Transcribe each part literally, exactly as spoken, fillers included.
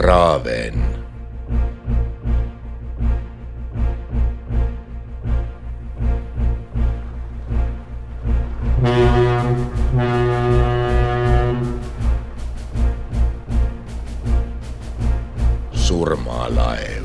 Raven. Surmalaev.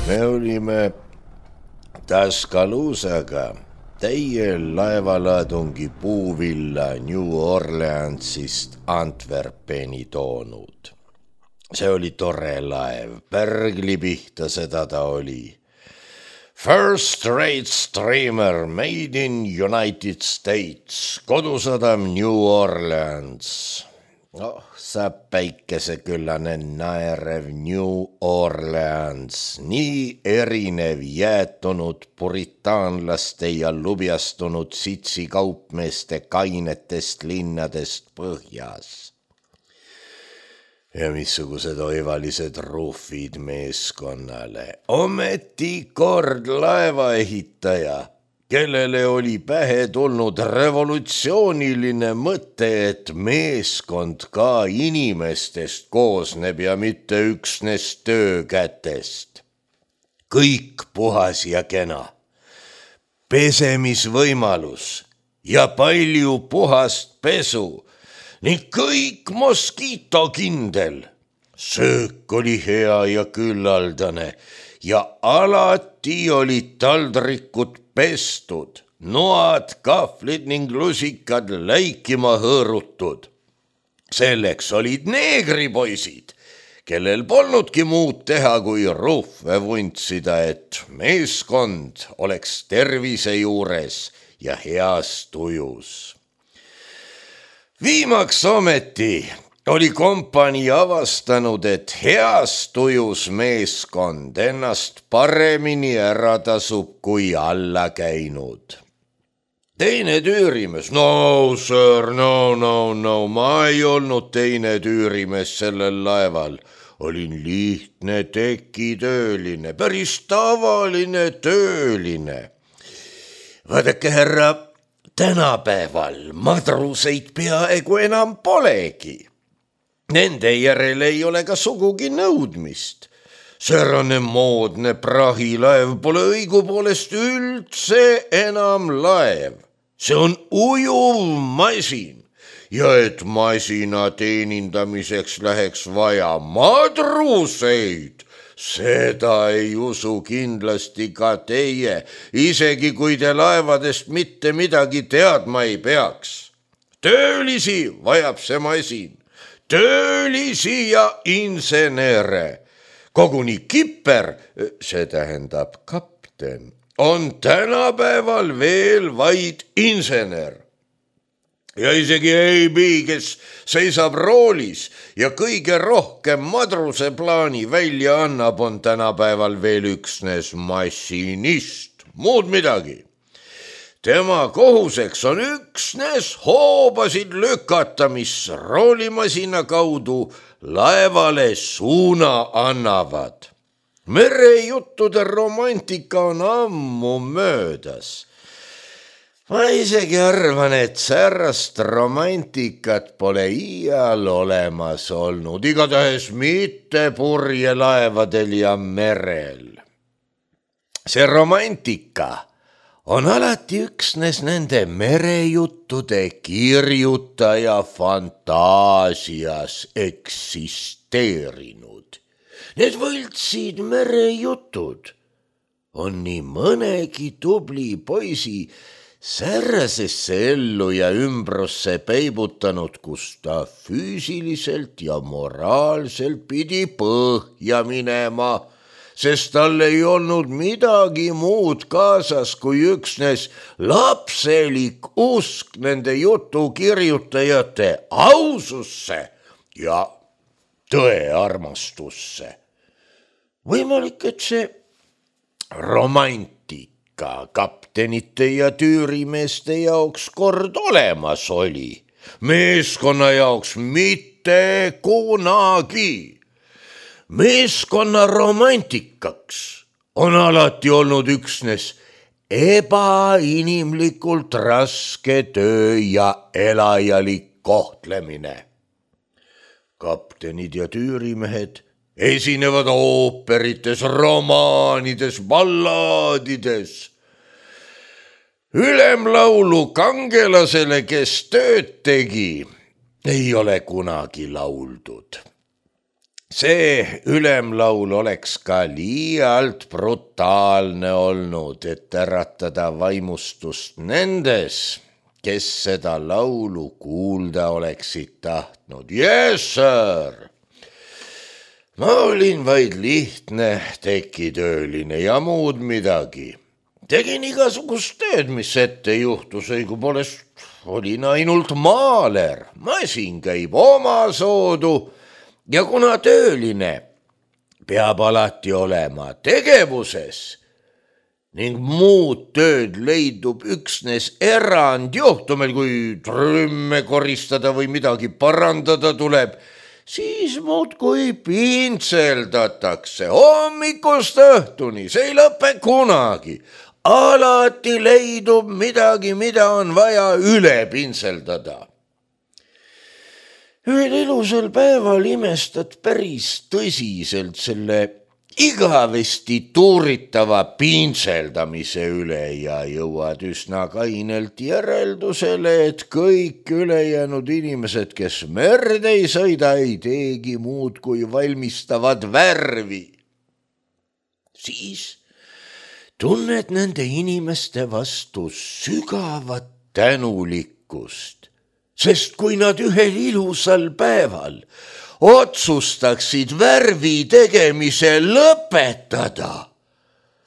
Me olime Tuscaloosaga täiel laevalaadungi puuvilla New Orleansist Antwerpeni toonud. See oli tore laev, pärgli pihta seda ta oli. First rate steamer made in United States, kodusadam New Orleans. Oh, sa päikeseküllane naerev New Orleans, nii erinev jäätunud puritaanlaste ja lubjastunud sitsi kaupmeeste kainetest linnadest põhjas. Ja missugused oivalised ruufid meeskonnale. Ometi kord laevaehitaja, kellele oli pähe tulnud revolutsiooniline mõte, et meeskond ka inimestest koosneb ja mitte üksnes töökätest. Kõik puhas ja kena, pesemisvõimalus ja palju puhast pesu ning kõik moskiitokindel. Söök oli hea ja küllaldane ja alati olid taldrikud pestud, noad, kahvlid ning lusikad läikima hõõrutud. Selleks olid neegripoisid, kellel polnudki muud teha kui ruufe vuntsida, et meeskond oleks tervise juures ja heas tujus. Viimaks ometi oli kompanii avastanud, et heas tujus meeskond ennast paremini ära tasub kui alla käinud. Teine tüürimees, no sir, no, no, no, ma ei olnud teine tüürimees sellel laeval. Olin lihtne tekitööline, päris tavaline tööline. Vaadake, härra, tänapäeval madruseid peaaegu enam polegi. Nende järele ei ole ka sugugi nõudmist. Säärane moodne prahilaev pole õigupoolest üldse enam laev. See on ujuv masin ja et masina teenindamiseks läheks vaja madruseid, seda ei usu kindlasti ka teie, isegi kui te laevadest mitte midagi teadma ei peaks. Töölisi vajab see masin. Töölisi ja insenere. Koguni kipper, see tähendab kapten, on tänapäeval veel vaid insener. Ja isegi A B, kes seisab roolis ja kõige rohkem madruse plaani välja annab, on tänapäeval veel üksnes massinist, muud midagi. Tema kohuseks on üksnes hoobasid lükata, mis roolimasina kaudu laevale suuna annavad. Merejuttude romantika on ammu möödas. Ma isegi arvan, et särast romantikat pole iial olemas olnud, igatahes mitte purjelaevadel ja merel. See romantika on alati üksnes nende merejuttude kirjutaja fantaasias eksisteerinud. Need võltsid merejutud on nii mõnegi tubli poisi säärasesse ellu ja ümbrusse peibutanud, kus ta füüsiliselt ja moraalselt pidi põhja minema, sest tal ei olnud midagi muud kaasas kui üksnes lapselik usk nende jutu kirjutajate aususse ja tõearmastusse. Võimalik, et see romantika kaptenite ja tüürimeeste jaoks kord olemas oli, meeskonna jaoks mitte kunagi. Meeskonna romantikaks on alati olnud üksnes ebainimlikult raske töö ja elajalik kohtlemine. Kaptenid ja tüürimehed esinevad ooperites, romaanides, ballaadides. Ülemlaulu kangelasele, kes tööd tegi, ei ole kunagi lauldud. See ülemlaul oleks ka liialt brutaalne olnud, et äratada vaimustust nendes, kes seda laulu kuulda oleksid tahtnud. Yes, sir! Ma olin vaid lihtne tekitööline ja muud midagi. Tegin igasugust tööd, mis ette juhtus, õigupoolest olin ainult maaler. Masin käib omasoodu ja kuna tööline peab alati olema tegevuses ning muud tööd leidub üksnes erandjuhtumil, kui trümme koristada või midagi parandada tuleb, siis muudkui pintseldatakse hommikust õhtuni, see ei lõpe kunagi. Alati leidub midagi, mida on vaja üle pintseldada. Ühel ilusal päeval imestad päris tõsiselt selle igavesti tuuritava pintseldamise üle ja jõuad üsna kainelt järeldusele, et kõik ülejäänud inimesed, kes merd ei sõida, ei teegi muud kui valmistavad värvi. Siis tunned nende inimeste vastu sügavat tänulikkust, sest kui nad ühel ilusal päeval otsustaksid värvi tegemise lõpetada,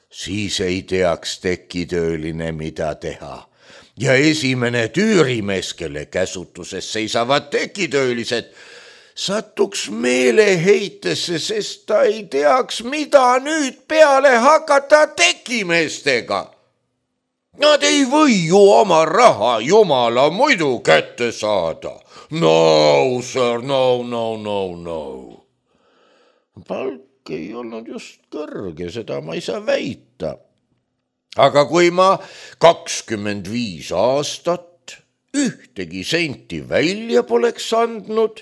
siis ei teaks tekitööline, mida teha. Ja esimene tüürimees, kelle käsutuses seisavad tekitöölised, satuks meeleheitesse, sest ta ei teaks, mida nüüd peale hakata tekimeestega. Nad ei või ju oma raha jumala muidu kätte saada. No, sir, no, no, no, no. Palk ei olnud just kõrge, seda ma ei saa väita. Aga kui ma kakskümmend viis aastat ühtegi senti välja poleks andnud,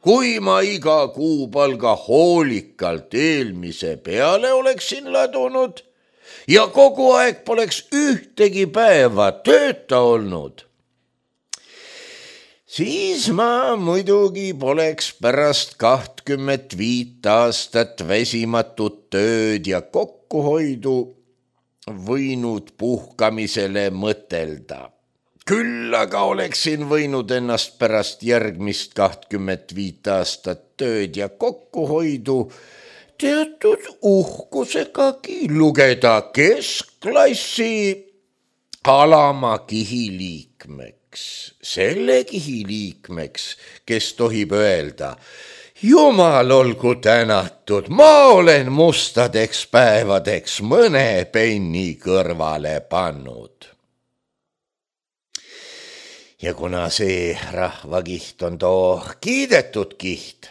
kui ma iga kuupalga hoolikalt eelmise peale oleksin ladunud ja kogu aeg poleks ühtegi päeva tööta olnud, siis ma muidugi poleks pärast kahtkümmet viit aastat väsimatut tööd ja kokkuhoidu võinud puhkamisele mõtelda. Küll aga oleksin võinud ennast pärast järgmist kahtkümmet viit aastat tööd ja kokkuhoidu teatud uhkusegagi lugeda keskklassi alama kihiliikmeks, selle kihiliikmeks, kes tohib öelda, Jumal olgu tänatud, ma olen mustadeks päevadeks mõne penni kõrvale pannud. Ja kuna see rahvakiht on too kiidetud kiht,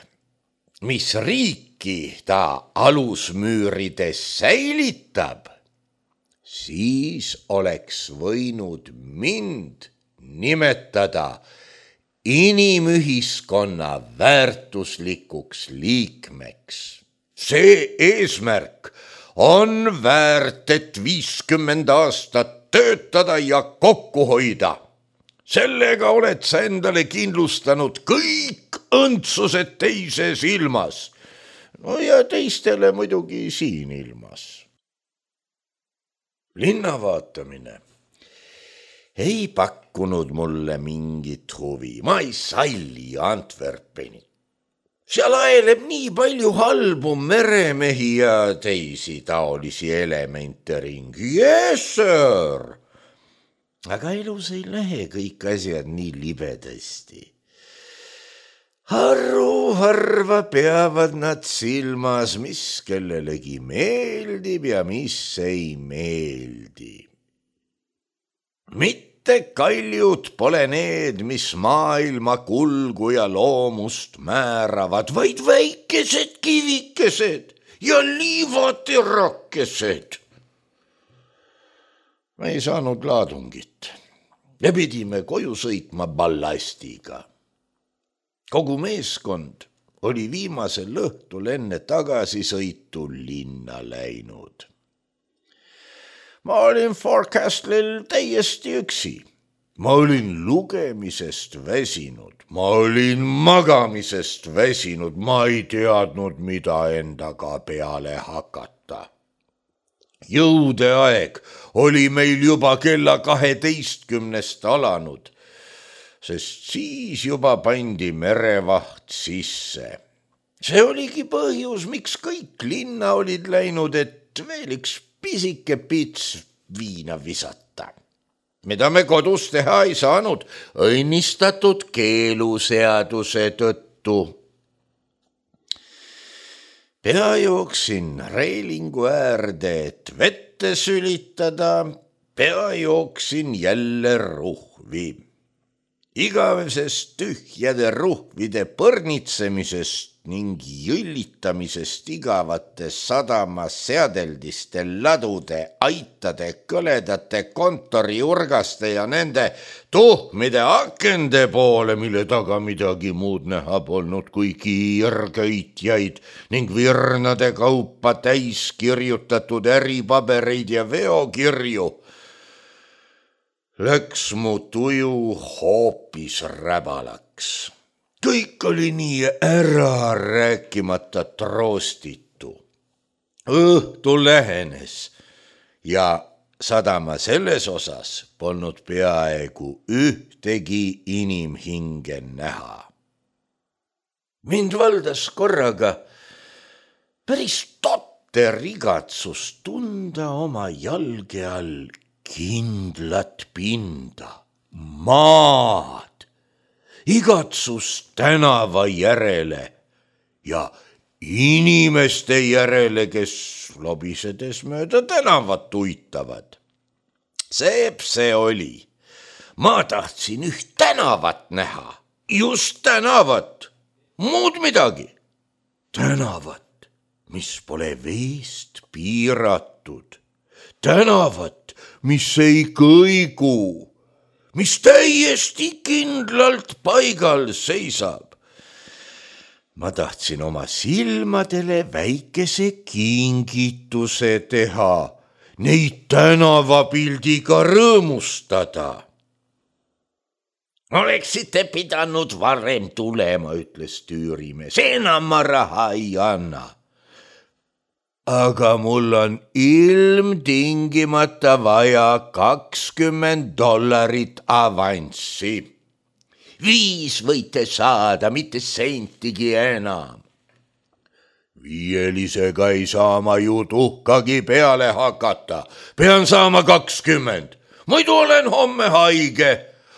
mis riiki ta alusmüürides säilitab, siis oleks võinud mind nimetada inimühiskonna väärtuslikuks liikmeks. See eesmärk on väärt, et viiskümmend aastat töötada ja kokku hoida. Sellega oled sa endale kindlustanud kõik õndsused teises ilmas. No ja teistele muidugi siin ilmas. Linna vaatamine ei pakkunud mulle mingit huvi. Ma ei salli Antwerpeni. Seal aeleb nii palju halbu meremehi ja teisi taolisi elemente ringi. Yes, sir! Aga elus ei lähe kõik asjad nii libedasti. Harru harva peavad nad silmas, mis kellelegi meeldib ja mis ei meeldi. Mitte mitte kaljud pole need, mis maailma kulgu ja loomust määravad, vaid väikesed kivikesed ja liivaterakesed. Me ei saanud laadungit ja pidime koju sõitma ballastiga. Kogu meeskond oli viimasel õhtul enne tagasisõitu linna läinud. Ma olin Forecastlil täiesti üksi. Ma olin lugemisest väsinud, ma olin magamisest väsinud, ma ei teadnud, mida endaga peale hakata. Jõudeaeg oli meil juba kella kaheteistkümnest alanud, sest siis juba pandi merevaht sisse. See oligi põhjus, miks kõik linna olid läinud, et veel üks pisike pits viina visata, mida me kodus teha ei saanud õnnistatud keeluseaduse tõttu. Pea jooksin reilingu äärde, et vette sülitada, pea jooksin jälle ruhvi. Igavesest tühjade ruhvide põrnitsemisest ning jõllitamisest igavate sadama seadeldiste ladude, aitade, kõledate kontoriurgaste ja nende tuhmide akende poole, mille taga midagi muud näha polnud kui kiirköitjaid ning virnade kaupa täis kirjutatud äripabereid ja veokirju, läks mu tuju hoopis räbalaks. Kõik oli nii ära rääkimata troostitu. Õhtu lähenes ja sadama selles osas polnud peaaegu ühtegi inimhinge näha. Mind valdas korraga päris totter igatsus tunda oma jalge all kindlat pinda, maad, igatsus tänava järele ja inimeste järele, kes lobisedes mööda tänavat uitavad. Seep see oli. Ma tahtsin üht tänavat näha, just tänavat, muud midagi. Tänavat, mis pole veest piiratud. Tänavat, mis ei kõigu, mis täiesti kindlalt paigal seisab. Ma tahtsin oma silmadele väikese kingituse teha, neid tänavapildiga rõõmustada. Oleksite pidanud varem tulema, ütles tüürimees, enam ma raha ei anna. Aga mul on ilmtingimata vaja kakskümmend dollarit avanssi. Viis võite saada, mitte sentigi enam. Viielisega ei saa ma ju tuhkagi peale hakata. Pean saama kakskümmend. Muidu olen homme haige.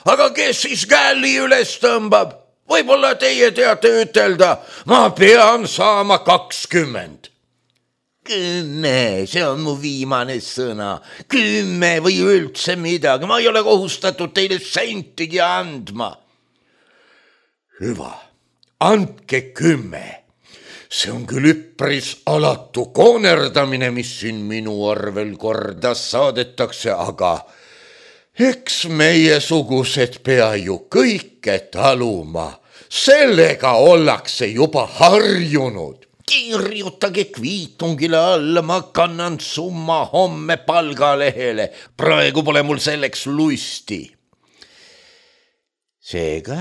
Aga kes siis käli üles tõmbab? Võib-olla teie teate ütelda, ma pean saama kakskümmend. Kümme, see on mu viimane sõna. Kümme või üldse midagi. Ma ei ole kohustatud teile sentigi andma. Hüva, andke kümme. See on küll üpris alatu koonerdamine, mis siin minu arvel korda saadetakse, aga eks meie sugused pea ju kõike taluma. Sellega ollakse juba harjunud. Kirjutage kviitungile alla, ma kannan summa homme palgalehele. Praegu pole mul selleks lusti. Seega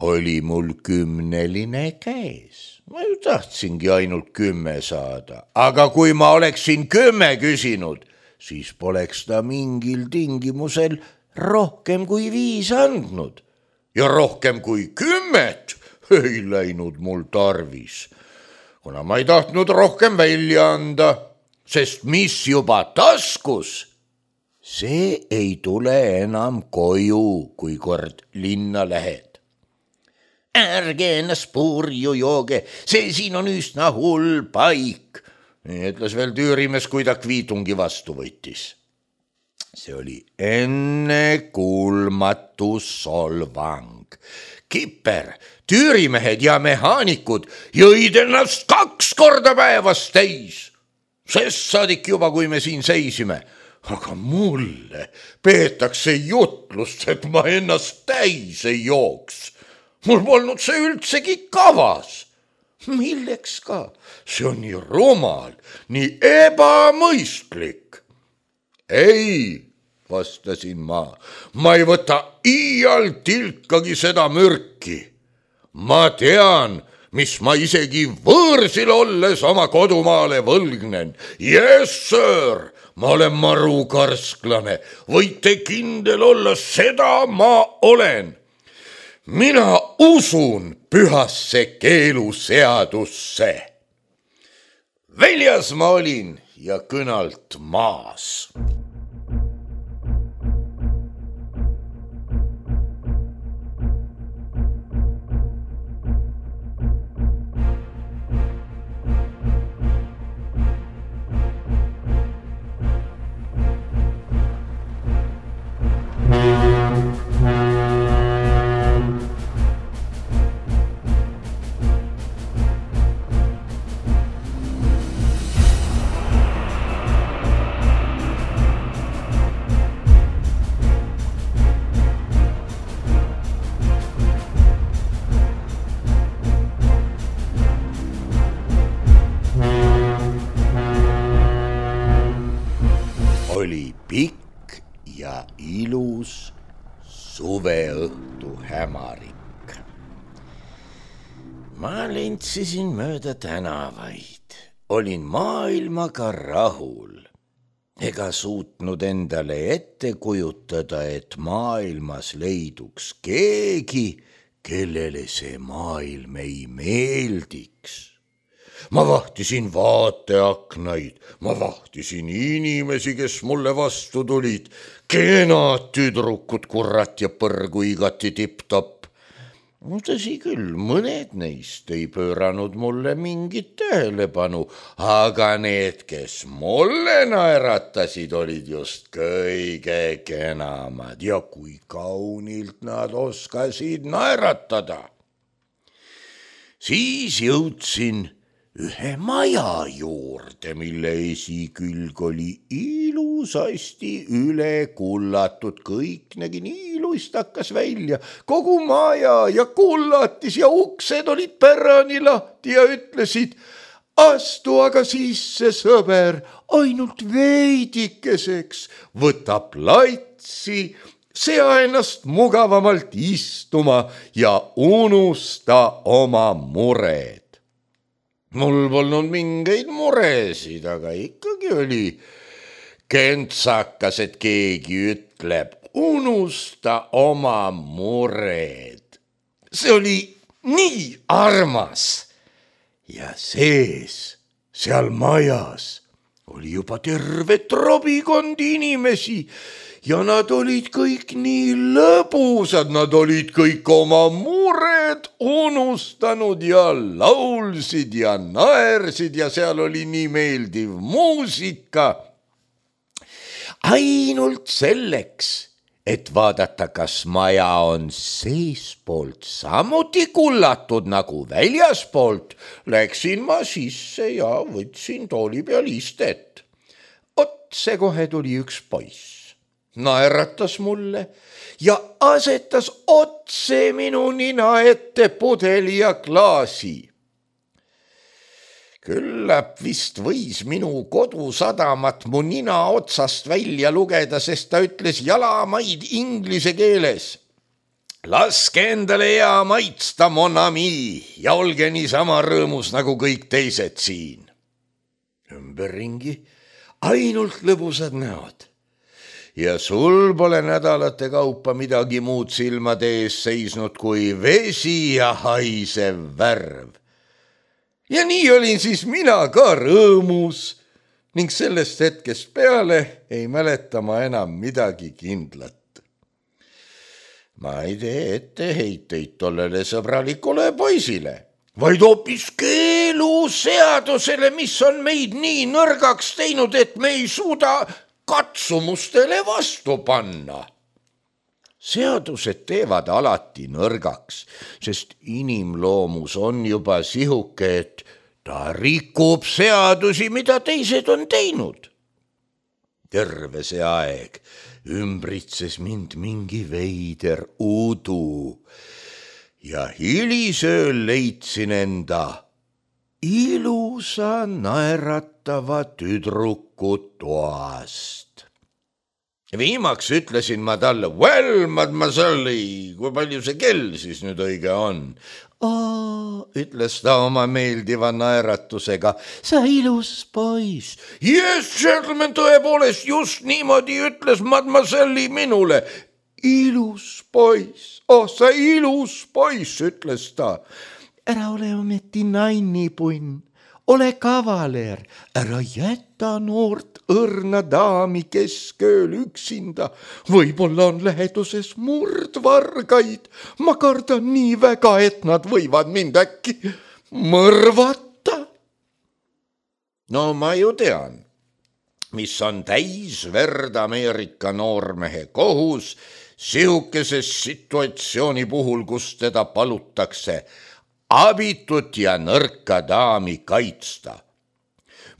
oli mul kümneline käes. Ma ju tahtsingi ainult kümme saada. Aga kui ma oleksin kümme küsinud, siis poleks ta mingil tingimusel rohkem kui viis andnud. Ja rohkem kui kümmet ei läinud mul tarvis. Kuna ma ei tahtnud rohkem välja anda, sest mis juba taskus, see ei tule enam koju, kui kord linna lähed. Ärge ennast purju jooge, see siin on üsna hull paik, ütles veel tüürimees, kui ta kviitungi vastu võttis. see oli ennekuulmatu solvang. Kiper, tüürimehed ja mehaanikud jõid ennast kaks korda päevas täis. Sest saadik juba, kui me siin seisime. Aga mulle peetakse jutlust, et ma ennast täis ei jooks. Mul polnud see üldsegi kavas. Milleks ka? See on nii rumal, nii ebamõistlik. Ei, vastasin ma, ma ei võta iial tilkagi seda mürki. Ma tean, mis ma isegi võõrsil olles oma kodumaale võlgnen. Yes, sir, ma olen marukarsklane, võite kindel olla, seda ma olen. Mina usun pühasse keeluseadusse. Väljas ma olin ja kõnalt maas. Oli pikk ja ilus suveõhtu hämarik. Ma lentsisin mööda tänavaid, olin maailmaga rahul. Ega suutnud endale ette kujutada, et maailmas leiduks keegi, kellele see maailm ei meeldiks. Ma vahtisin vaateaknaid, ma vahtisin inimesi, kes mulle vastu tulid, kenad tüdrukud, kurat ja põrgu igati tipp-topp. Tõsi küll, mõned neist ei pööranud mulle mingit tähelepanu, aga need, kes mulle naeratasid, olid just kõige kenamad ja kui kaunilt nad oskasid naeratada. Siis jõudsin ühe maja juurde, mille esikülg oli ilusasti üle kullatud, kõik nägi nii luistakas välja, kogu maja ja kullatis ja uksed olid pärani lahti ja ütlesid, astu aga sisse, sõber, ainult veidikeseks, võta platsi, sea ennast mugavamalt istuma ja unusta oma mured. Mul polnud mingeid muresid, aga ikkagi oli kentsakas, et keegi ütleb, unusta oma mured. See oli nii armas ja sees, seal majas oli juba terve trobikond inimesi ja nad olid kõik nii lõbusad, nad olid kõik oma mured unustanud ja laulsid ja naersid ja seal oli nii meeldiv muusika. Ainult selleks, et vaadata, kas maja on seespoolt samuti kullatud nagu väljaspoolt, läksin ma sisse ja võtsin tooli peal istet. Otse kohe tuli üks poiss. Naeratas mulle ja asetas otse minu nina ette pudeli ja klaasi. Küllap vist võis minu kodusadamat mu nina otsast välja lugeda, sest ta ütles jalamaid inglise keeles. Laske endale hea maitsta, mon ami, ja olge niisama rõõmus nagu kõik teised siin. Ümberringi ainult lõbusad näod. Ja sul pole nädalate kaupa midagi muud silmade ees seisnud kui vesi ja haisev värv. Ja nii olin siis mina ka rõõmus ning sellest hetkest peale ei mäleta ma enam midagi kindlat. Ma ei tee etteheiteid tollele sõbralikule poisile, vaid hoopis keeluseadusele, mis on meid nii nõrgaks teinud, et me ei suuda katsumustele vastu panna. Seadused teevad alati nõrgaks, sest inimloomus on juba sihuke, et ta rikub seadusi, mida teised on teinud. Terve see aeg ümbritses mind mingi veider udu ja hilisööl leidsin enda ilusa naeratava tüdruku toast. Viimaks ütlesin ma talle, well, mademoiselle, kui palju see kell siis nüüd õige on? Aa, ütles ta oma meeldiva naeratusega, sa ilus poiss. Yes, gentleman, tõepoolest just niimoodi ütles mademoiselle minule. Ilus poiss, oh sa ilus poiss, ütles ta. Ära ole ometi nainipunn, ole kavaler, ära jäta noort õrna daami keskööl üksinda. Võib-olla on läheduses murdvargaid. Ma kardan nii väga, et nad võivad mind äkki mõrvata. No ma ju tean, mis on täis verd Ameerika noormehe kohus sihukeses situatsiooni puhul, kus teda palutakse abitut ja nõrka daami kaitsta.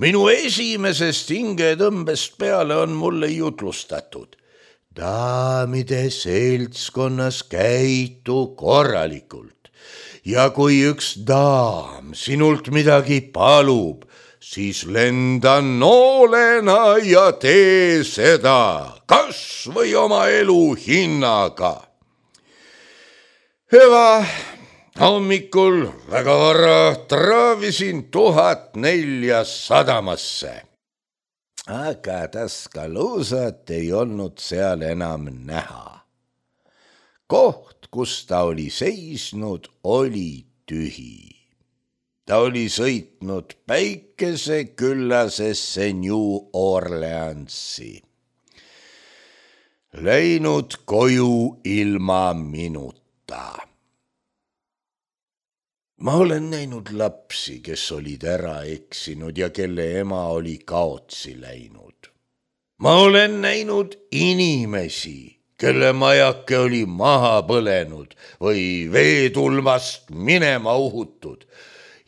Minu esimesest hingetõmbest peale on mulle jutlustatud. Daamide seltskonnas käitu korralikult ja kui üks daam sinult midagi palub, siis lenda noolena ja tee seda, kas või oma elu hinnaga. Hüva. Hommikul väga vara traavisin tuhat nelja sadamasse. Aga Tuscaloosat ei olnud seal enam näha. Koht, kus ta oli seisnud, oli tühi. Ta oli sõitnud päikeseküllasesse New Orleansi. Läinud koju ilma minuta. Ma olen näinud lapsi, kes olid ära eksinud ja kelle ema oli kaotsi läinud. Ma olen näinud inimesi, kelle majake oli maha põlenud või veetulvast minema uhutud.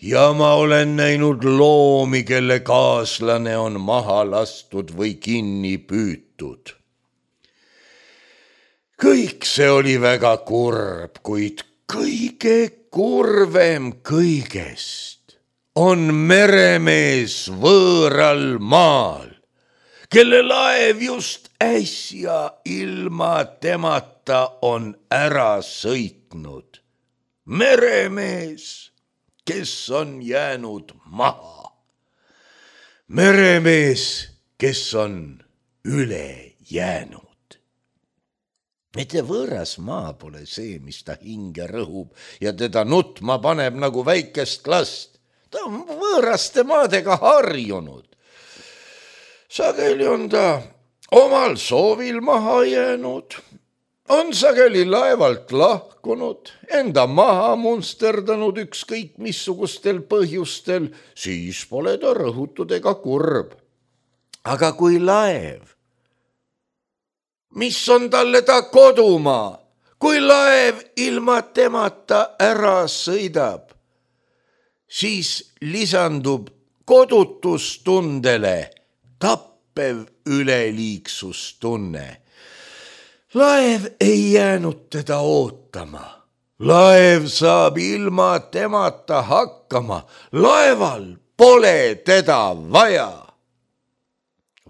Ja ma olen näinud loomi, kelle kaaslane on maha lastud või kinni püütud. Kõik see oli väga kurb, kuid kõige kurvem kõigest on meremees võõral maal, kelle laev just äsja ilma temata on ära sõitnud. Meremees, kes on jäänud maha. Meremees, kes on üle jäänud. Mitte võõras maa pole see, mis ta hinge rõhub ja teda nutma paneb nagu väikest last. Ta on võõraste maadega harjunud. Sageli on ta omal soovil maha jäänud, on sageli laevalt lahkunud, enda maha munsterdanud ükskõik missugustel põhjustel, siis pole ta rõhutud ega kurb. Aga kui laev, mis on talle ta kodumaa, kui laev ilma temata ära sõidab, siis lisandub kodutustundele tappev üleliiksustunne. Laev ei jäänud teda ootama. Laev saab ilma temata hakkama. Laeval pole teda vaja.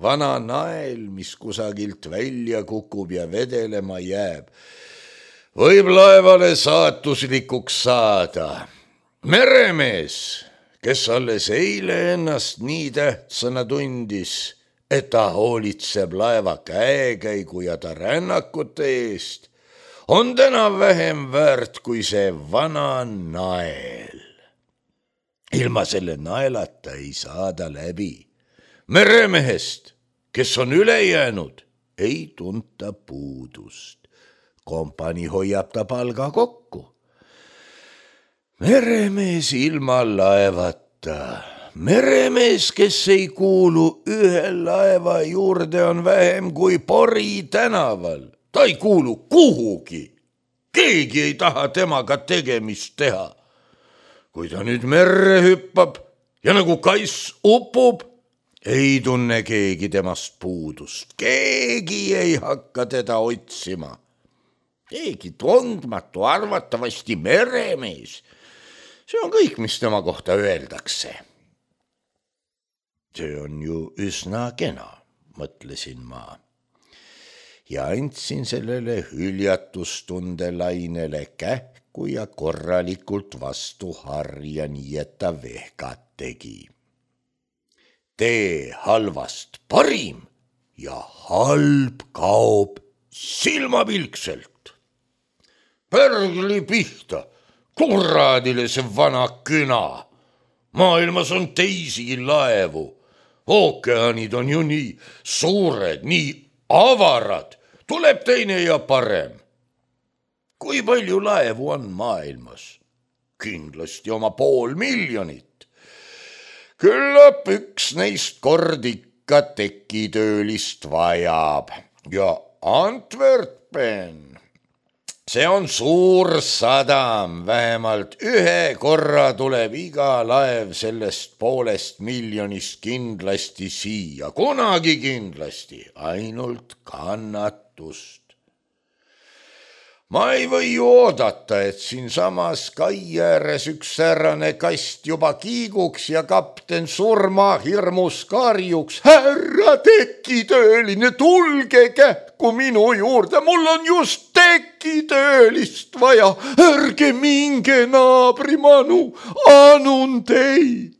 Vana nael, mis kusagilt välja kukub ja vedelema jääb, võib laevale saatuslikuks saada. Meremees, kes alles eile ennast nii tähtsana tundis, et ta hoolitseb laeva käekäigu ja ta rännakute eest, on täna vähem väärt kui see vana nael. Ilma selle naelata ei saada läbi. Meremehest, kes on üle jäänud, ei tunta puudust. Kompani hoiab ta palga kokku. Meremees ilma laevata meremees, kes ei kuulu ühe laeva juurde, on vähem kui Pori tänaval. Ta ei kuulu kuhugi. Keegi ei taha temaga tegemist teha. Kui ta nüüd merre hüppab ja nagu kass upub, ei tunne keegi temast puudust. Keegi ei hakka teda otsima. Keegi tundmatu, arvatavasti meremees. See on kõik, mis tema kohta öeldakse. See on ju üsna kena, mõtlesin ma. Ja andsin sellele hüljatustundelainele kähku ja korralikult vastu harja, nii et ta vehkat tegi. Tee halvast parim ja halb kaob silmapilkselt. Pärgli pihta, kuradile see vana küna. Maailmas on teisigi laevu. Ookeanid on ju nii suured, nii avarad. Tuleb teine ja parem. Kui palju laevu on maailmas? Kindlasti oma pool miljonit. Küllap üks neist kord ikka tekitöölist vajab. Ja Antwerpen, see on suur sadam, vähemalt ühe korra tuleb iga laev sellest poolest miljonist kindlasti siia, kunagi kindlasti, ainult kannatust. Ma ei või ju oodata, et siin samas kai ääres üks säärane kast juba kiiguks ja kapten surma hirmus karjuks. Härra tekitööline, tulge kähku minu juurde, mul on just tekitöölist vaja. Ärge minge naabrimanu, anun teid.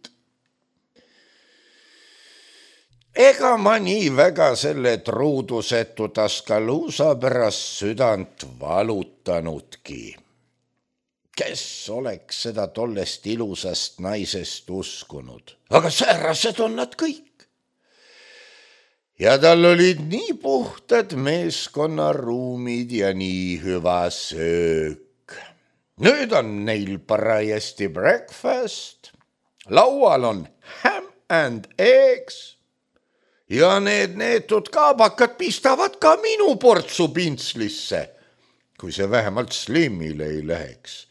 Ega ma nii väga selle truudusetu Tuscaloosa pärast südant valutanudki. Kes oleks seda tollest ilusast naisest uskunud? Aga säärased on nad kõik. Ja tal olid nii puhtad meeskonnaruumid ja nii hüva söök. Nüüd on neil parajasti breakfast. Laual on ham and eggs. Ja need neetud kaabakad pistavad ka minu portsu pintslisse, kui see vähemalt Slimile ei läheks,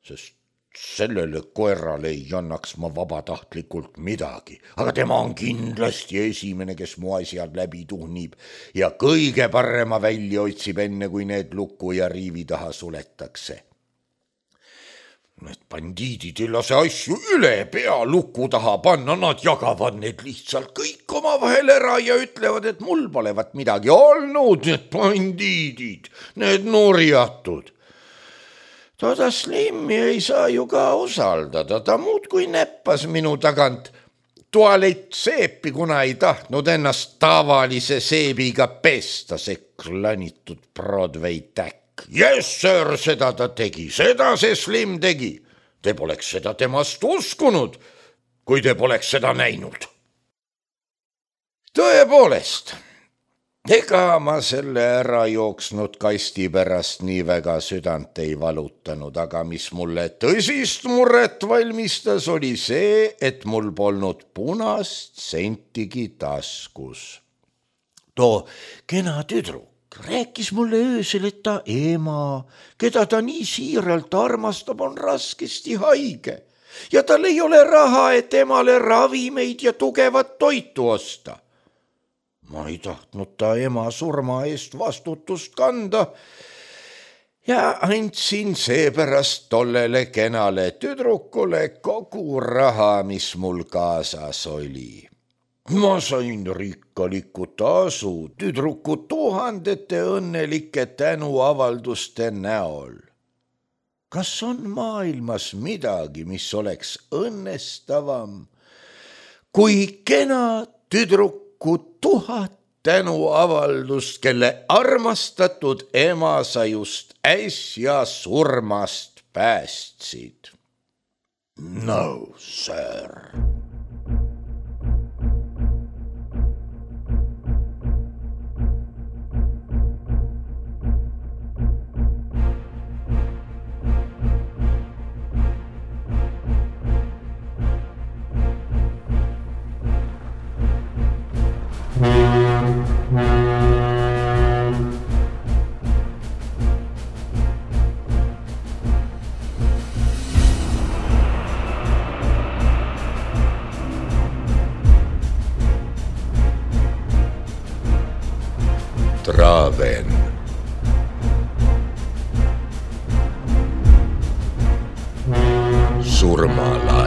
sest sellele koerale ei annaks ma vabatahtlikult midagi, aga tema on kindlasti esimene, kes mu asjad läbi tuhnib ja kõige parema välja otsib enne, kui need luku ja riivi taha suletakse. Need bandiidid ei lase asju üle pea luku taha panna, nad jagavad need lihtsalt kõik oma vahel ära ja ütlevad, et mul polevat midagi olnud, need bandiidid, need nurjatud. Toda Slimi ei saa ju ka usaldada, ta muud kui näppas minu tagant tualettseepi, kuna ei tahtnud ennast tavalise seebiga pesta, see klanitud Broadway täkk. Yes, sir, seda ta tegi, seda see Slim tegi. Te poleks seda temast uskunud, kui te poleks seda näinud. Tõepoolest, ega ma selle ära jooksnud kasti pärast nii väga südant ei valutanud, aga mis mulle tõsist muret valmistas, oli see, et mul polnud punast sentigi taskus. Too kena tüdruk rääkis mulle öösel, et ta ema, keda ta nii siiralt armastab, on raskesti haige ja tal ei ole raha, et emale ravimeid ja tugevat toitu osta. Ma ei tahtnud ta ema surma eest vastutust kanda ja andsin seepärast tollele kenale tüdrukule kogu raha, mis mul kaasas oli. Ma sain rikkaliku tasu tüdruku tuhandete õnnelike tänuavalduste näol. Kas on maailmas midagi, mis oleks õnnestavam, kui kena tüdruku tuhat tänuavaldust, kelle armastatud ema sa just äsja surmast päästsid? No, sir. Traven. Surmalaul.